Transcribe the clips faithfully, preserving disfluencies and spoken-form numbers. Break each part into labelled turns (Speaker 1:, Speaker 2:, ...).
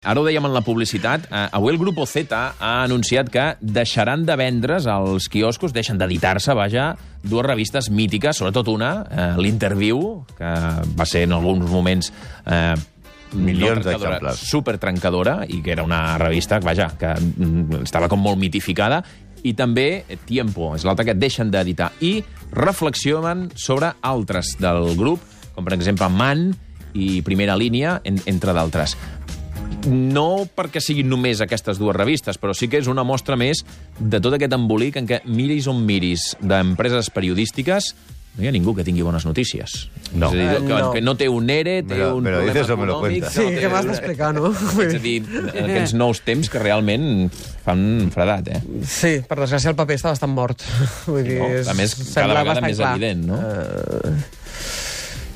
Speaker 1: Ara ho dèiem en la publicitat, eh, avui el Grupo Z ha anunciat que deixaran de vendre's als quioscos, deixen d'editar-se, vaja, dues revistes mítiques, sobretot una, eh, l'Interviu, que va ser en alguns moments eh,
Speaker 2: milions
Speaker 1: no
Speaker 2: d'exemplars,
Speaker 1: supertrencadora, i que era una revista, vaja, que mm, estava com molt mitificada, i també Tiempo, és l'altra que deixen d'editar, i reflexionen sobre altres del grup, com per exemple Man i Primera Línia, en, entre d'altres. No perquè siguin només aquestes dues revistes, però sí que és una mostra més de tot aquest embolic en què miris on miris d'empreses periodístic,es no hi ha ningú que tingui bones notícies.
Speaker 2: No.
Speaker 1: És a dir, que,
Speaker 3: no.
Speaker 1: que no té un ERE, té
Speaker 2: Pero-
Speaker 1: un
Speaker 2: pero
Speaker 1: problema
Speaker 2: dices o me lo
Speaker 1: econòmic...
Speaker 2: cuentas.
Speaker 3: Sí,
Speaker 1: no té-
Speaker 3: què m'has d'explicar, no?
Speaker 1: És a dir, aquests nous temps que realment fan fredat, eh?
Speaker 3: Sí, per desgràcia el paper està bastant mort. Vull dir,
Speaker 1: No,
Speaker 3: és-
Speaker 1: a més,
Speaker 3: sembla
Speaker 1: cada vegada
Speaker 3: bastant
Speaker 1: més
Speaker 3: clar.
Speaker 1: evident, no?
Speaker 3: Uh,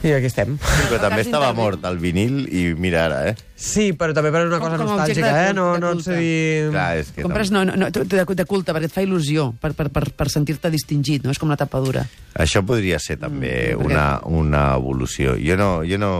Speaker 3: I aquí estem.
Speaker 2: Però també
Speaker 4: cas
Speaker 2: estava
Speaker 4: d'Interviu.
Speaker 2: mort el vinil i mira ara, eh?
Speaker 3: Sí, però també per una
Speaker 4: Com-
Speaker 3: cosa
Speaker 4: com a objecte
Speaker 3: nostàlgica,
Speaker 4: de
Speaker 3: eh? No,
Speaker 4: culte,
Speaker 3: no
Speaker 4: de
Speaker 3: et sé
Speaker 4: culte.
Speaker 3: dir...
Speaker 2: Clar, és que...
Speaker 4: Compres no, no, no, de, de culte, perquè et fa il·lusió, per, per, per, per sentir-te distingit, no? És com una tapadura.
Speaker 2: Això podria ser també
Speaker 4: Mm, perquè-
Speaker 2: una, una evolució. Jo no... Jo no...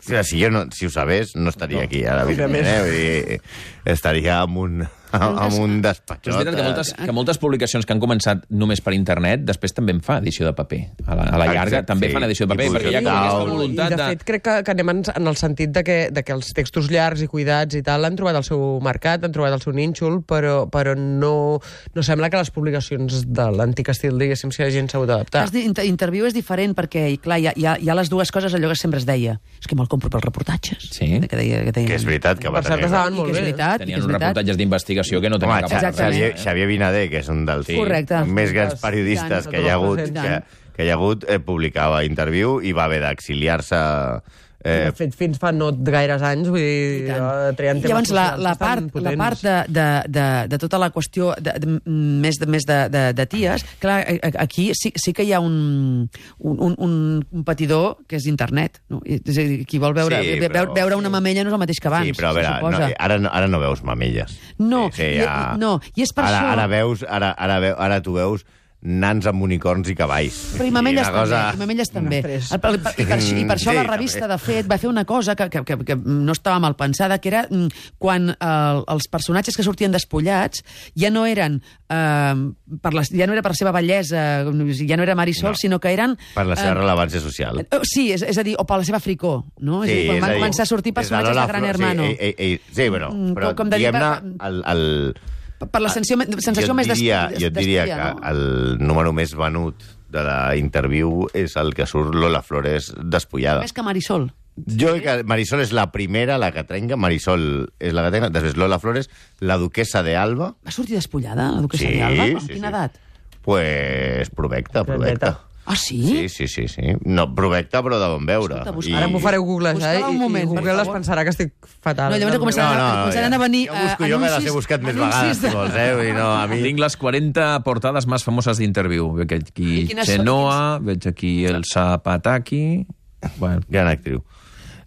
Speaker 2: O sigui, si, jo no, si ho sabés, no estaria
Speaker 1: No.
Speaker 2: aquí ara.
Speaker 3: Òbviament.
Speaker 2: Eh? Vull dir, estaria amb un, amb un despatxot.
Speaker 1: Però és veritat que moltes, que moltes publicacions que han començat només per internet, després també en fa edició de paper. A la, a la llarga
Speaker 2: Exacte,
Speaker 1: també
Speaker 2: sí.
Speaker 1: fan edició de paper,
Speaker 2: I
Speaker 1: perquè hi ha com
Speaker 2: digital.
Speaker 1: aquesta
Speaker 3: I,
Speaker 1: voluntat
Speaker 3: de
Speaker 1: de...
Speaker 3: fet, crec que, que anem en, en el sentit de que, de que els textos llargs i cuidats i tal han trobat el seu mercat, han trobat el seu nínxol, però, però no, no sembla que les publicacions de l'antic estil, diguéssim, si la gent s'ha hagut d'adaptar.
Speaker 4: El cas d'interviu és diferent perquè, i clar, hi ha, hi, ha, hi ha les dues coses, allò que sempre es deia. És que me'l compro pels reportatges.
Speaker 1: Sí.
Speaker 4: Que, deia, que, deia,
Speaker 2: Que és veritat que va
Speaker 3: Per cert,
Speaker 2: tenir...
Speaker 3: estaven
Speaker 4: I
Speaker 3: molt
Speaker 4: que és
Speaker 3: bé.
Speaker 4: veritat, i que
Speaker 1: Tenien
Speaker 4: és
Speaker 1: uns
Speaker 4: veritat.
Speaker 1: reportatges d'investigació que no
Speaker 2: Home,
Speaker 1: tenen cap
Speaker 2: Xa-
Speaker 4: Exactament.
Speaker 2: Xavier, Xavier Vinader, que és un dels
Speaker 1: Sí.
Speaker 4: Correcte.
Speaker 2: més grans
Speaker 3: I
Speaker 2: periodistes
Speaker 3: tant,
Speaker 2: que hi ha hagut,
Speaker 3: i
Speaker 2: que,
Speaker 4: tant.
Speaker 2: que hi ha hagut eh, publicava Interviu i va haver d'exiliar-se...
Speaker 3: Eh,
Speaker 2: Eh,
Speaker 3: de fet, fins fa no gaires anys, vull
Speaker 4: I
Speaker 3: dir,
Speaker 4: tant.
Speaker 3: eh, treien
Speaker 4: I
Speaker 3: temes
Speaker 4: llavors la,
Speaker 3: socials
Speaker 4: la
Speaker 3: bastant
Speaker 4: part, la
Speaker 3: potents.
Speaker 4: part de, de, de, de tota la qüestió de, de, més, de, més de, de, de ties, clar, a- a- aquí sí, sí que hi ha un, un, un, un competidor que és internet. No? I- És a dir, qui vol veure,
Speaker 2: Sí,
Speaker 4: ve-
Speaker 2: però-
Speaker 4: veure, veure una mamella no és el mateix que abans.
Speaker 2: sí, però a veure,
Speaker 4: se
Speaker 2: no,
Speaker 4: suposa.
Speaker 2: ara, no, ara no veus mamelles.
Speaker 4: No,
Speaker 2: sí,
Speaker 4: i- i- no, i és per
Speaker 2: ara,
Speaker 4: això-
Speaker 2: Ara, veus, ara, ara, veu, ara tu veus nans amb unicorns i cavalls.
Speaker 4: Però i mamelles
Speaker 2: una
Speaker 4: també,
Speaker 2: cosa-
Speaker 4: i mamelles també.
Speaker 3: Després.
Speaker 4: El, el, I per, això- i per això
Speaker 2: Sí,
Speaker 4: la
Speaker 2: també.
Speaker 4: revista, de fet, va fer una cosa que, que, que, que no estava mal pensada, que era mm, quan eh, els personatges que sortien despullats ja no eren eh, per la, ja no era per la seva bellesa, ja no era Marisol,
Speaker 2: No.
Speaker 4: sinó que eren...
Speaker 2: Per la seva
Speaker 4: eh,
Speaker 2: rellevància social.
Speaker 4: eh, Sí, és, és a dir, o per la seva fricor, no? és a dir, quan
Speaker 2: és
Speaker 4: van
Speaker 2: a dir,
Speaker 4: començar a sortir
Speaker 2: des de
Speaker 4: personatges de,
Speaker 2: Lola
Speaker 4: Gran
Speaker 2: Flor-
Speaker 4: Hermano.
Speaker 2: Sí, ei, ei, sí, bueno,
Speaker 4: Mm,
Speaker 2: però
Speaker 4: com de dir,
Speaker 2: diguem-ne,
Speaker 4: per-
Speaker 2: el, el,
Speaker 4: Per la sensació, sensació
Speaker 2: jo
Speaker 4: més
Speaker 2: et diria,
Speaker 4: des-
Speaker 2: jo et diria
Speaker 4: d'estudiar,
Speaker 2: que
Speaker 4: no?
Speaker 2: el número més venut de la Interviu és el que surt Lola Flores despullada.
Speaker 4: Més que Marisol.
Speaker 2: Jo crec que Marisol és la primera, la que trenca. Marisol és la que trenca. Després Lola Flores, la duquesa de Alba.
Speaker 4: Va sortir despullada, la duquesa
Speaker 2: Sí,
Speaker 4: de Alba? Amb
Speaker 2: sí,
Speaker 4: quina
Speaker 2: sí.
Speaker 4: edat?
Speaker 2: Pues provecta, provecta.
Speaker 4: Ah, sí?
Speaker 2: Sí, sí, sí, sí. No, provecta, però de bon veure.
Speaker 4: Escolta, busca-
Speaker 2: I-
Speaker 3: Ara m'ho fareu googlejar
Speaker 4: Busca-la un
Speaker 3: i,
Speaker 4: moment,
Speaker 3: i
Speaker 4: per
Speaker 3: Google es
Speaker 4: favor.
Speaker 3: pensarà que estic fatal.
Speaker 4: No, llavors començaran,
Speaker 2: No, no,
Speaker 4: començaran
Speaker 2: ja.
Speaker 4: a venir
Speaker 2: Jo busco,
Speaker 4: eh,
Speaker 2: jo me les
Speaker 4: anuncis-
Speaker 2: he buscat més
Speaker 4: anuncis
Speaker 2: vegades,
Speaker 4: de-
Speaker 2: si vols, eh? Vull dir, no, a mi...
Speaker 1: Tinc les quaranta portades més famoses d'Interviu. Veig aquí
Speaker 4: I quines són?
Speaker 1: Chenoa, veig aquí el Zapataki... Bueno,
Speaker 2: Gran actriu.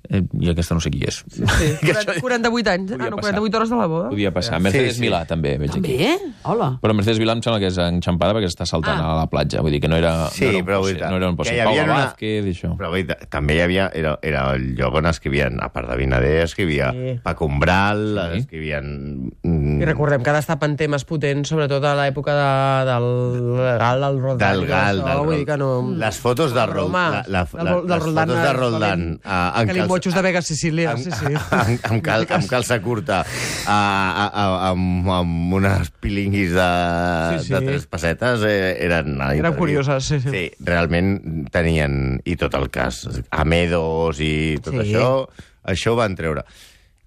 Speaker 1: eh, i aquesta no sé qui és.
Speaker 3: Sí, quaranta, quaranta-vuit anys.
Speaker 1: Podia
Speaker 3: Ah, no,
Speaker 1: passar.
Speaker 3: quaranta-vuit hores de la boda.
Speaker 1: Podia passar. Mercedes
Speaker 2: Sí, sí.
Speaker 1: Milà, també, veig aquí.
Speaker 4: També? Hola.
Speaker 1: Però Mercedes Milà em sembla que és enxampada perquè està saltant
Speaker 4: Ah.
Speaker 1: a la platja. Vull dir que no era,
Speaker 2: Sí,
Speaker 1: no era un
Speaker 2: però vull
Speaker 1: possi-
Speaker 2: dir,
Speaker 1: no era un
Speaker 2: que
Speaker 1: possible.
Speaker 2: hi havia
Speaker 1: Paula
Speaker 2: una-
Speaker 1: Vázquez i això.
Speaker 2: Però vull dir, també hi havia... Era, era el lloc on escrivien, a part de Vinader, escrivia
Speaker 3: Sí.
Speaker 2: Paco Umbral,
Speaker 1: Sí.
Speaker 2: escrivien... mm,
Speaker 3: I recordem que destapen temes potents, sobretot a l'època de, del Gal, del Roldán.
Speaker 2: Del
Speaker 3: i
Speaker 2: Gal,
Speaker 3: això,
Speaker 2: del
Speaker 3: vull
Speaker 2: Rol-
Speaker 3: dir que no...
Speaker 2: Les fotos de Roldán...
Speaker 3: Roma,
Speaker 2: La, la,
Speaker 3: del-
Speaker 2: la,
Speaker 3: del
Speaker 2: les
Speaker 3: Roldán,
Speaker 2: fotos de
Speaker 3: eh,
Speaker 2: Roldán... ah, en
Speaker 3: Calimotxos de Vega Sicília,
Speaker 2: amb,
Speaker 3: sí, sí.
Speaker 2: amb, amb, cal, amb calça curta, a, a, a, amb, amb unes pilinguis de,
Speaker 3: Sí, sí.
Speaker 2: de tres pessetes, eh, eren... a
Speaker 3: Eren
Speaker 2: Interviu.
Speaker 3: curioses, sí, sí.
Speaker 2: Sí, realment tenien... I tot el cas, Amedos i tot
Speaker 3: Sí.
Speaker 2: això, això ho van treure.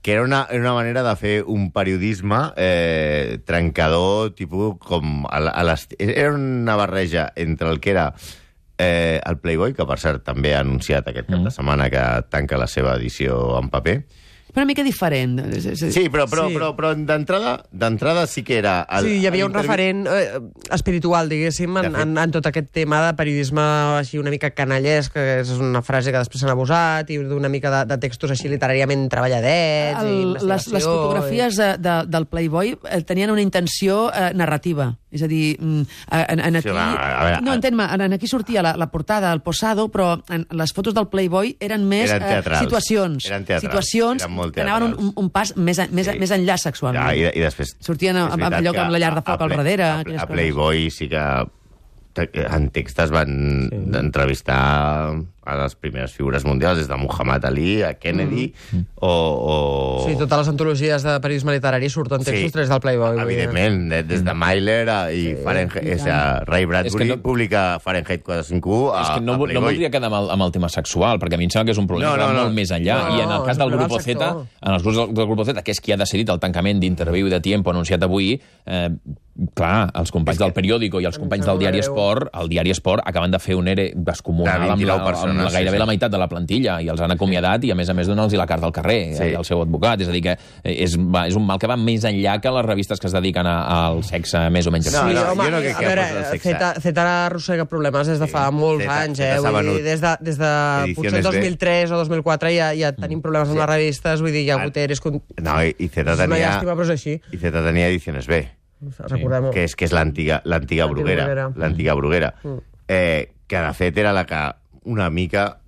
Speaker 2: Que era una, era una manera de fer un periodisme eh, trencador, tipus com... A, la- a l'est- era una barreja entre el que era eh, el Playboy, que per cert també ha anunciat aquest cap de setmana que tanca la seva edició en paper.
Speaker 4: Però una mica diferent. És- és-
Speaker 2: Sí, però, però,
Speaker 3: Sí.
Speaker 2: però, però d'entrada d'entrada sí que era... El,
Speaker 3: Sí, hi havia un
Speaker 2: l'intervi-
Speaker 3: referent eh, espiritual, diguéssim, en,
Speaker 2: De fet.
Speaker 3: en, en tot aquest tema de periodisme així una mica canallesc, que és una frase que després s'han abusat, i d'una mica de, de textos així literàriament treballadets, i
Speaker 4: El, les,
Speaker 3: investigació...
Speaker 4: les fotografies de, de, del Playboy eh, tenien una intenció eh, narrativa. És a dir, en, en aquí...
Speaker 2: Sí, va, a veure,
Speaker 4: no, entén-me, en aquí sortia la, la portada, el posado, però en, les fotos del Playboy eren més
Speaker 2: Eren teatrals.
Speaker 4: eh, situacions.
Speaker 2: Eren teatrals.
Speaker 4: Situacions
Speaker 2: Eren molt
Speaker 4: que anaven un,
Speaker 2: teatrals.
Speaker 4: un, un pas més, més,
Speaker 2: Sí.
Speaker 4: més enllà sexualment.
Speaker 2: Ja, i, i després...
Speaker 4: Sortien
Speaker 2: és
Speaker 4: amb, amb
Speaker 2: veritat
Speaker 4: allò
Speaker 2: que
Speaker 4: amb la llar de
Speaker 2: a-
Speaker 4: foc
Speaker 2: a
Speaker 4: al
Speaker 2: Play-
Speaker 4: darrere.
Speaker 2: A,
Speaker 4: aquelles
Speaker 2: a
Speaker 4: coses.
Speaker 2: Playboy sí que en text es van sí. entrevistar a les primeres figures mundials, des de Muhammad Ali a Kennedy, mm. o, o...
Speaker 3: Sí, totes les antologies de periodisme literari surten textos tres del Playboy. vull dir.
Speaker 2: Evidentment, de- des de Myler a, i sí, Fahrenheit,
Speaker 4: i
Speaker 2: és a Ray Bradbury
Speaker 1: És que no-
Speaker 2: publica Fahrenheit quatre cents cinquanta u a,
Speaker 1: És que no,
Speaker 2: a
Speaker 1: no
Speaker 2: Playboy.
Speaker 1: voldria quedar amb el, amb el tema sexual, perquè a mi em sembla que és un problema
Speaker 2: No,
Speaker 1: que
Speaker 2: no,
Speaker 1: va
Speaker 2: no.
Speaker 1: molt més enllà.
Speaker 3: No,
Speaker 1: I en el
Speaker 3: no,
Speaker 1: cas
Speaker 3: és
Speaker 1: del
Speaker 3: un
Speaker 1: Grupo
Speaker 3: problema del
Speaker 1: Z,
Speaker 3: sector.
Speaker 1: en els grups del, del Grupo Z, que és qui ha decidit el tancament d'Interviu de Tiempo anunciat avui, eh, clar, els companys del Periódico i els companys del Diari Esport, el Diari Esport acaben de fer un ERE descomunal
Speaker 2: De
Speaker 1: amb, la,
Speaker 2: vint-i-nou
Speaker 1: amb
Speaker 2: persones,
Speaker 1: la, gairebé
Speaker 2: sí, sí.
Speaker 1: la meitat de la plantilla, i els han acomiadat i, a més a més, donar-los la carta al carrer,
Speaker 2: Sí.
Speaker 1: sí. al seu advocat. És a dir, que és, va, és un mal que va més enllà que les revistes que es dediquen a, al sexe més o menys
Speaker 2: No,
Speaker 3: Sí,
Speaker 2: no,
Speaker 3: home,
Speaker 2: jo no crec
Speaker 3: a
Speaker 2: que
Speaker 3: veure,
Speaker 2: fos el sexe.
Speaker 3: Zeta, Zeta arrossega problemes des de fa
Speaker 2: Sí,
Speaker 3: molts
Speaker 2: Zeta-
Speaker 3: anys,
Speaker 2: Zeta
Speaker 3: eh?
Speaker 2: s'ha
Speaker 3: Vull dir,
Speaker 2: venut.
Speaker 3: des de, des de potser
Speaker 2: Ediciones
Speaker 3: el dos mil tres o dos mil quatre ja, ja tenim problemes amb
Speaker 2: Sí.
Speaker 3: les revistes, vull dir, hi ha hagut eres... Con...
Speaker 2: No, i, i Zeta
Speaker 3: És una
Speaker 2: tenia...
Speaker 3: llàstima, però és així.
Speaker 2: I Zeta tenia Ediciones B.
Speaker 3: Recordem-ho.
Speaker 2: que és, que és l'antiga l'antiga
Speaker 3: L'antiga
Speaker 2: Bruguera.
Speaker 3: Bruguera.
Speaker 2: L'antiga Bruguera.
Speaker 3: Mm.
Speaker 2: Eh, que, de fet, era la que una mica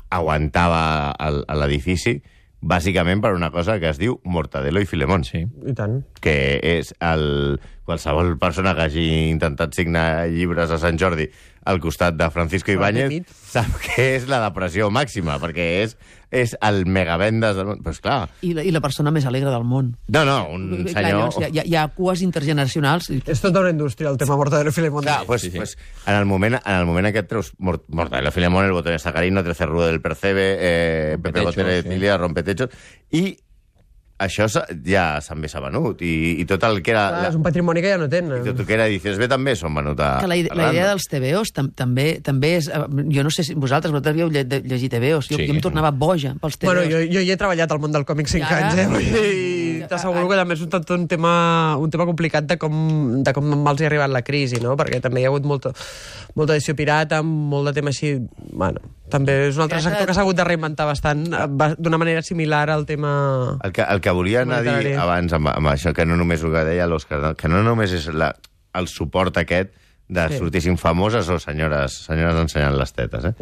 Speaker 2: aguantava el- a l'edifici, bàsicament per una cosa que es diu Mortadelo i Filemón.
Speaker 1: Sí.
Speaker 3: I tant.
Speaker 2: Que és el... Qualsevol persona que hagi intentat signar llibres a Sant Jordi al costat de Francisco Ibáñez
Speaker 3: Petit.
Speaker 2: sap que és la depressió màxima, perquè és, és el megavendes del món. Però, esclar,
Speaker 4: I la, I la persona més alegre del món.
Speaker 2: no, no, un
Speaker 4: Clar,
Speaker 2: senyor...
Speaker 4: llavors, hi, ha, hi ha cues intergeneracionals. I-
Speaker 3: És tota una indústria, el tema Mortadelo i Filemón.
Speaker 2: Clar, pues,
Speaker 1: Sí, sí.
Speaker 2: pues, en el moment, en el moment aquest treus Mort- Mortadelo Filemón, El botón sacarino, Trece rudo del Percebe, eh, Pepe
Speaker 1: Rompetechos,
Speaker 2: Gotera de
Speaker 1: sí.
Speaker 2: Cilia, Rompetechos, i això s'ha- ja també s'ha venut, i, i tot el que era...
Speaker 3: Clar,
Speaker 2: La,
Speaker 3: és un patrimoni que ja no
Speaker 2: i
Speaker 3: tenen.
Speaker 2: tot el que era Edicions B també s'han venut a...
Speaker 4: que la, ide-
Speaker 2: a
Speaker 4: la idea
Speaker 2: Randa.
Speaker 4: dels T V Os tam, també també és... eh, Jo no sé si vosaltres, vosaltres havíeu lle, de- llegit T V Os. Jo,
Speaker 1: Sí.
Speaker 4: jo em tornava boja pels T V Os.
Speaker 3: Bueno, jo, jo hi he treballat al món del còmic cinc
Speaker 4: I ara-
Speaker 3: anys, eh? Vull dir,
Speaker 4: Ja,
Speaker 3: t'asseguro
Speaker 4: ara-
Speaker 3: que també és un, tot un tema, un tema complicat de com, de com els hi ha arribat la crisi, no? Perquè també hi ha hagut molta, molta edició pirata, molt de tema així... Bueno, també és un altre
Speaker 4: Pirata-
Speaker 3: sector que s'ha hagut de reinventar bastant, eh, ba- d'una manera similar al tema...
Speaker 2: El que, el que volia anar a dir
Speaker 3: Literari.
Speaker 2: abans amb, amb això, que no només el que deia l'Òscar, no? Que no només és la, el suport aquest de
Speaker 3: Sí.
Speaker 2: sortissin famoses o senyores, senyores ensenyant les tetes, eh?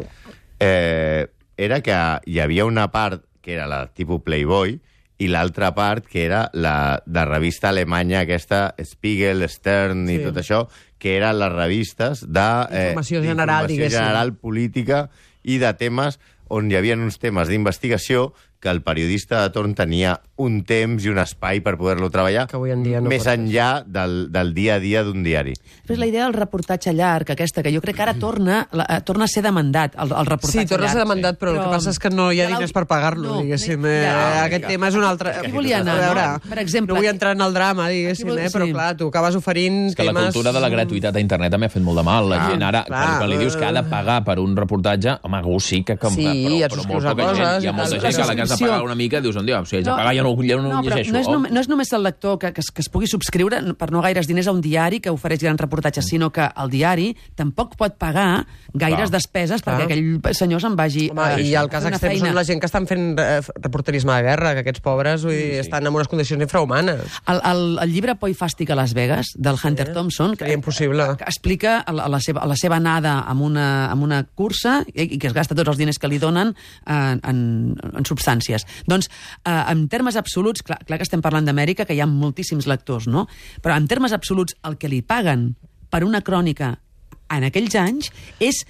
Speaker 2: eh? Era que hi havia una part que era la tipus Playboy i l'altra part que era la de revista alemanya aquesta Spiegel, Stern i
Speaker 3: Sí.
Speaker 2: tot això, que eren les revistes de...
Speaker 3: Informació general,
Speaker 2: d'informació
Speaker 3: diguéssim.
Speaker 2: general, política i de temes on hi havia uns temes d'investigació que el periodista de torn tenia un temps i un espai per poder-lo treballar
Speaker 3: Que avui en dia no
Speaker 2: més
Speaker 3: pot ser.
Speaker 2: enllà del, del dia a dia d'un diari.
Speaker 4: Després la idea del reportatge llarg, aquesta, que jo crec que ara torna, la, eh, torna a ser demandat, el, el reportatge
Speaker 3: Sí, torna a ser
Speaker 4: llarg.
Speaker 3: demandat, però, el que passa és que no hi ha diners per pagar-lo,
Speaker 4: No,
Speaker 3: diguéssim.
Speaker 4: no,
Speaker 3: Eh,
Speaker 4: ja.
Speaker 3: aquest tema és un altre...
Speaker 4: Aquí volia anar,
Speaker 3: A veure,
Speaker 4: no? Per exemple,
Speaker 3: no vull entrar en el drama, diguéssim,
Speaker 4: Aquí vol-
Speaker 3: eh, però
Speaker 4: sí.
Speaker 3: clar, tu acabes oferint
Speaker 1: És que la
Speaker 3: temes...
Speaker 1: cultura de la gratuïtat a internet també ha fet molt de mal. La
Speaker 2: Clar,
Speaker 1: gent ara,
Speaker 3: clar,
Speaker 1: quan, quan li dius que ha de
Speaker 3: eh.
Speaker 1: pagar per un reportatge, home, algú sí que... que
Speaker 3: Sí,
Speaker 1: però,
Speaker 3: et
Speaker 1: però
Speaker 3: subscrius
Speaker 1: molt
Speaker 3: a
Speaker 1: poca gent.
Speaker 3: coses
Speaker 1: Hi ha
Speaker 3: i
Speaker 1: molta
Speaker 3: tal.
Speaker 1: gent que a la que has de
Speaker 4: subscripció.
Speaker 1: pagar una mica dius, dius, si haig de pagar ja no, ja no,
Speaker 4: no,
Speaker 1: ho
Speaker 4: però
Speaker 1: llegeixo.
Speaker 4: no és,
Speaker 1: Oh.
Speaker 4: nom no és només el lector que, que, es, que es pugui subscriure per no gaires diners a un diari que ofereix grans reportatges, sinó que el diari tampoc pot pagar gaires
Speaker 1: Clar.
Speaker 4: despeses
Speaker 3: Clar.
Speaker 4: perquè aquell senyor se'n vagi
Speaker 3: Home,
Speaker 4: a,
Speaker 3: i el cas
Speaker 4: a fer una
Speaker 3: extrem són
Speaker 4: feina.
Speaker 3: la gent que estan fent eh, reporterisme de guerra, que aquests pobres vull dir, estan en unes condicions infrahumanes.
Speaker 4: El, el, el llibre Por i Fàstic a Las Vegas, del Hunter Thompson, que,
Speaker 3: seria impossible.
Speaker 4: que explica la, la, seva, la seva anada amb una, amb una cursa i, i que es gasta tots els diners que li donen en, en, en substàncies. Doncs, eh, en termes absoluts, clar, clar que estem parlant d'Amèrica, que hi ha moltíssims lectors, no? Però en termes absoluts, el que li paguen per una crònica en aquells anys és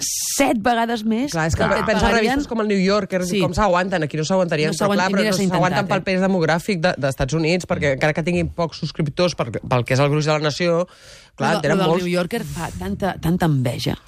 Speaker 4: set vegades més
Speaker 3: Clar, és que
Speaker 4: del et
Speaker 3: pensa en
Speaker 4: pagarien-
Speaker 3: revistes com el New Yorker,
Speaker 4: Sí.
Speaker 3: sí. com s'aguanten, aquí no s'aguantarien,
Speaker 4: No
Speaker 3: no però clar,
Speaker 4: s'aguanten,
Speaker 3: però
Speaker 4: mira,
Speaker 3: no
Speaker 4: s'ha
Speaker 3: s'aguanten
Speaker 4: intentat,
Speaker 3: pel
Speaker 4: eh?
Speaker 3: pes demogràfic de- dels Estats Units, perquè encara que tinguin pocs subscriptors per, pel que és el gruix de la nació, clar,
Speaker 4: Lo,
Speaker 3: en tenen
Speaker 4: lo del
Speaker 3: molts.
Speaker 4: New Yorker fa tanta, tanta enveja.